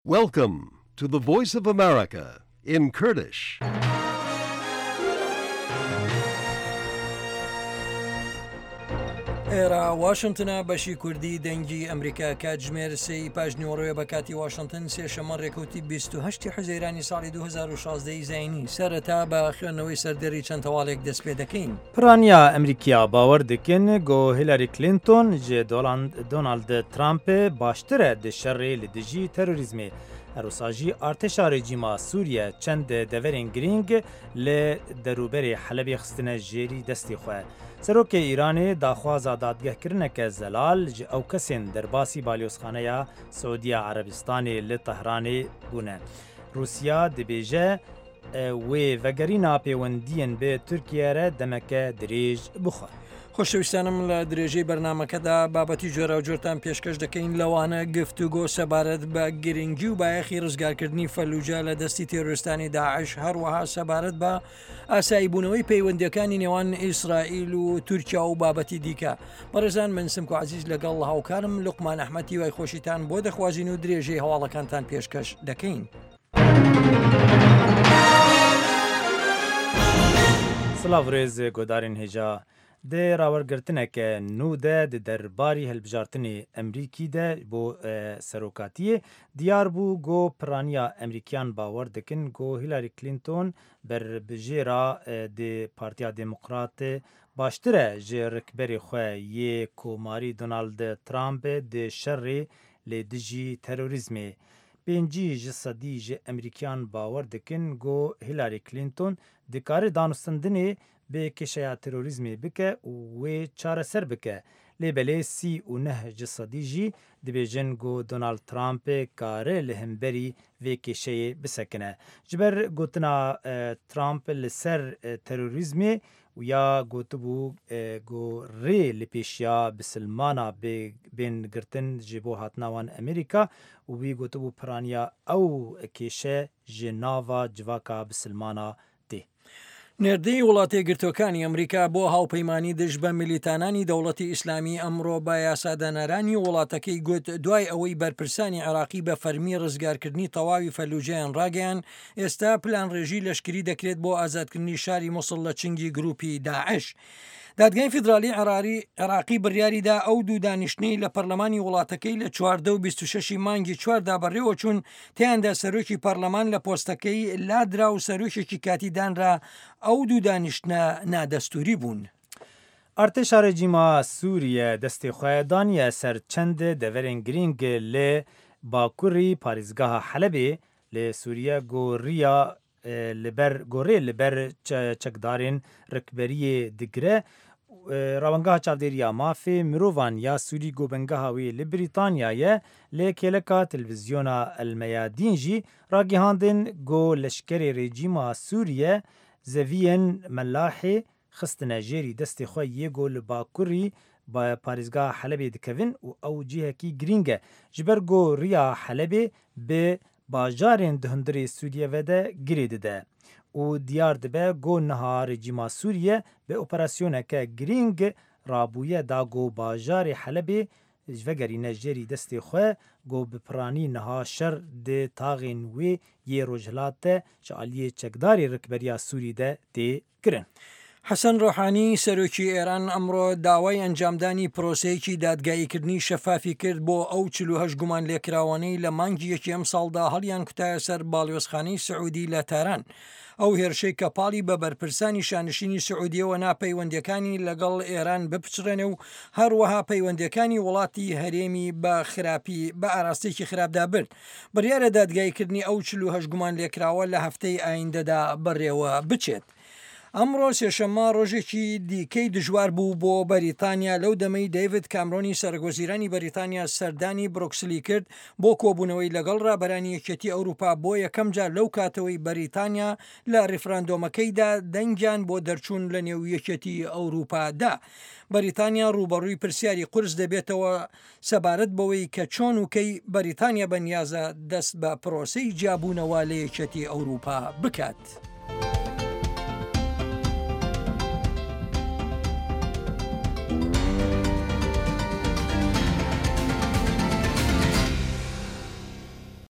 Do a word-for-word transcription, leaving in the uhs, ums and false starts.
Welcome to the Voice of America in Kurdish. ئێرە واشنتنە بەشی کوردی دەنگی ئەمریکا کاتژمێر سێی پاش نیوەڕۆیە بە کاتی واشنتن، سێشەممە ڕێکەوتی بیست و هەشت حوزەیرانی ساڵی دوو هەزار و شازدە ی زایینی. سەرەتا بە خوێندنەوەی سەردێڕی چەند هەواڵێک دەست پێ دەکەین. Piraniya Amerîkiya bawer dikin ku Hillary Clinton ji Donald Trump baştir e di şerê li dijî terorîzmê. Her wisa jî artêşa rejîma Sûriye çend deverên girîng li derûberê Helebê xistine jêrî destê xwe. Serokê Îranê daxwaza dadgehkirineke zelal ji ew kesên derbasî balyozxaneya Siûdiya Erebistanê li Tehranê bûne. Rûsya dibêje wê vegerîna pêwendiyên bi Tirkiye re demeke dirêj bixwe. خۆشەویستانم لە درێژەی بەرنامەکەدا بابەتی جۆراوجۆرتان پێشکەش دەکەین، لەوانە گفتوگۆ سەبارەت بە گرنگی و بایەخی ڕزگارکردنی فەلوجە لە دەستی تێرۆریستانی داعش، هەروەها سەبارەت بە ئاساییبوونەوەی پەیوەندیەکانی نێوان ئیسرائیل و تورکیا و بابەتی دیکە. بەڕێزان من سمکۆ عەزیز لەگەڵ هاوکارم لوقمان ئەحمەدی وای خۆشیتان بۆ دەخوازین و درێژەی هەواڵەکانتان پێشکەش دەکەین. سڵاو ڕێز گۆدارên hêja. Di rawergirtineke nû de di derbarî hilbijartinê Amerîkî de bo serokatiyê diyar bû ku piraniya Amerîkiyan bawer dikin ku Hillary Clinton berbijêra di Partiya Demokrat baştir e ji rikberê xwe yê Komarî Donald Trump di şerê li dijî terorîzmê. Pêncî ji sedî ji Amerîkiyan bawer dikin ku Hillary Clinton dikare danûstandinê bê kêşeya terorîzmê bike û wê çareser bike. Lê belê sî û neh ji sedî jî dibêjin ku Donald Trump kare li hemberî vê kêşeyê bisekine. Ji ber gotina Trump li ser terorîzmê û ya gotibû ku rê li pêşiya bisilmana bên girtin ji bo hatina wan Amerîka û wî gotibû piraniya ew kêşe ji nava civaka bisilmana tê. نێردەی وڵاتە یەکگرتووەکانی ئەمریکا بۆ هاوپەیمانی دژ بە میلیتانانی دەوڵەتی ئیسلامی ئەمڕۆ بە یاسادانەرانی وڵاتەکەی گوت دوای ئەوەی بەرپرسانی عێراقی بە فەرمی ڕزگارکردنی تەواوی فەلوجەیان ڕاگەیان، ئێستا پلانڕێژی لەشکری دەکرێت بۆ ئازادکردنی شاری موسڵ لە چنگی گروپی داعش. دادگای فیدرالی عێراقی بڕیاریدا ئەو دوو دانیشتنەی لە پەرلەمانی وڵاتەکەی لە چواردە و بیست و شەشی مانگی چواردا بەڕێوە چوون، تیاندا سەرۆکی پەرلەمان لە پۆستەکەی لادرا و سەرۆکێکی کاتی دانرا. ئەو دوو دانیشتنە نادەستوری بوون. ئەرتێشا ڕێژیما سووریە دەستێ خۆ دانیە سەر چەند دەڤەرên girîng li bakurî parêzgeha Helebê li Sûriye goriya li ber gorê li ber çekdarên rikberiyê digire. Rawengeha çavdêriya mafê mirovan ya Sûrî gobengeha wê li Brîtanyayê lê kêleka televîzyona El Meyadîn jî ragihandin ku leşkerê rejîma Sûriye zeviyên Melahê xistine jêrî destê xwe yê ku li bakurî parêzgeha Helebê dikevin û ew cihekî girîng e ji ber ku riya Helebê bi bajarên di hundirê Sûriye ve de girê dide. Û diyar dibe ku niha rejîma Sûriye bi operasyoneke girîng rabûye da ku bajarê Helebê ji vegerîne jêrî destê xwe ku bi piranî niha şer di taxên wê yê rojhilat de ji aliyê çekdarê rikberiya Sûrî de tê kirin. حەسەن ڕۆحانی سەرۆکی ئێران ئەمڕۆ داوای ئەنجامدانی پرۆسەیەکی دادگاییکردنی شەفافی کرد بۆ ئەو چل و هەشت گومان لێکراوانەی لە مانگی یەکی ئەم ساڵدا هەڵیان کوتایە سەر باڵیۆزخانەی سعودی لە تاران. ئەو هێرشەی کە پاڵی بە بەرپرسانی شانشینی سعودیەوە ناپەیوەندیەکانی لەگەڵ ئێران بپچڕێنێ و هەروەها پەیوەندیەکانی وڵاتی هەرێمی بە خراپی بە ئاراستێکی خراپدا برد. بڕیارە دادگاییکردنی ئەو چل و هەشت گومان لێکراوە لە هەفتەی ئایندەدا بەڕێوە بچێت. ئەمڕۆ سێشەممە ڕۆژێکی دیکەی دژوار بوو بۆ بەریتانیا لەو دەمەی دەیڤد کامرۆنی سەرۆکوەزیرانی بەریتانیا سەردانی برۆکسلی کرد بۆ کۆبوونەوەی لەگەڵ ڕابەرانی یەکێتی ئەوروپا بۆ یەکەم جار لەو کاتەوەی بەریتانیا لە ڕیفراندۆمەکەیدا دەنگیان بۆ دەرچوون لە نێو یەکێتی ئەوروپادا. بەریتانیا ڕووبەڕووی پرسیاری قورس دەبێتەوە سەبارەت بەوەی کە چۆن و کەی بەریتانیا بەنیازە دەست بە پرۆسەی جیابوونەوە لە یەکێتی ئەوروپا بکات.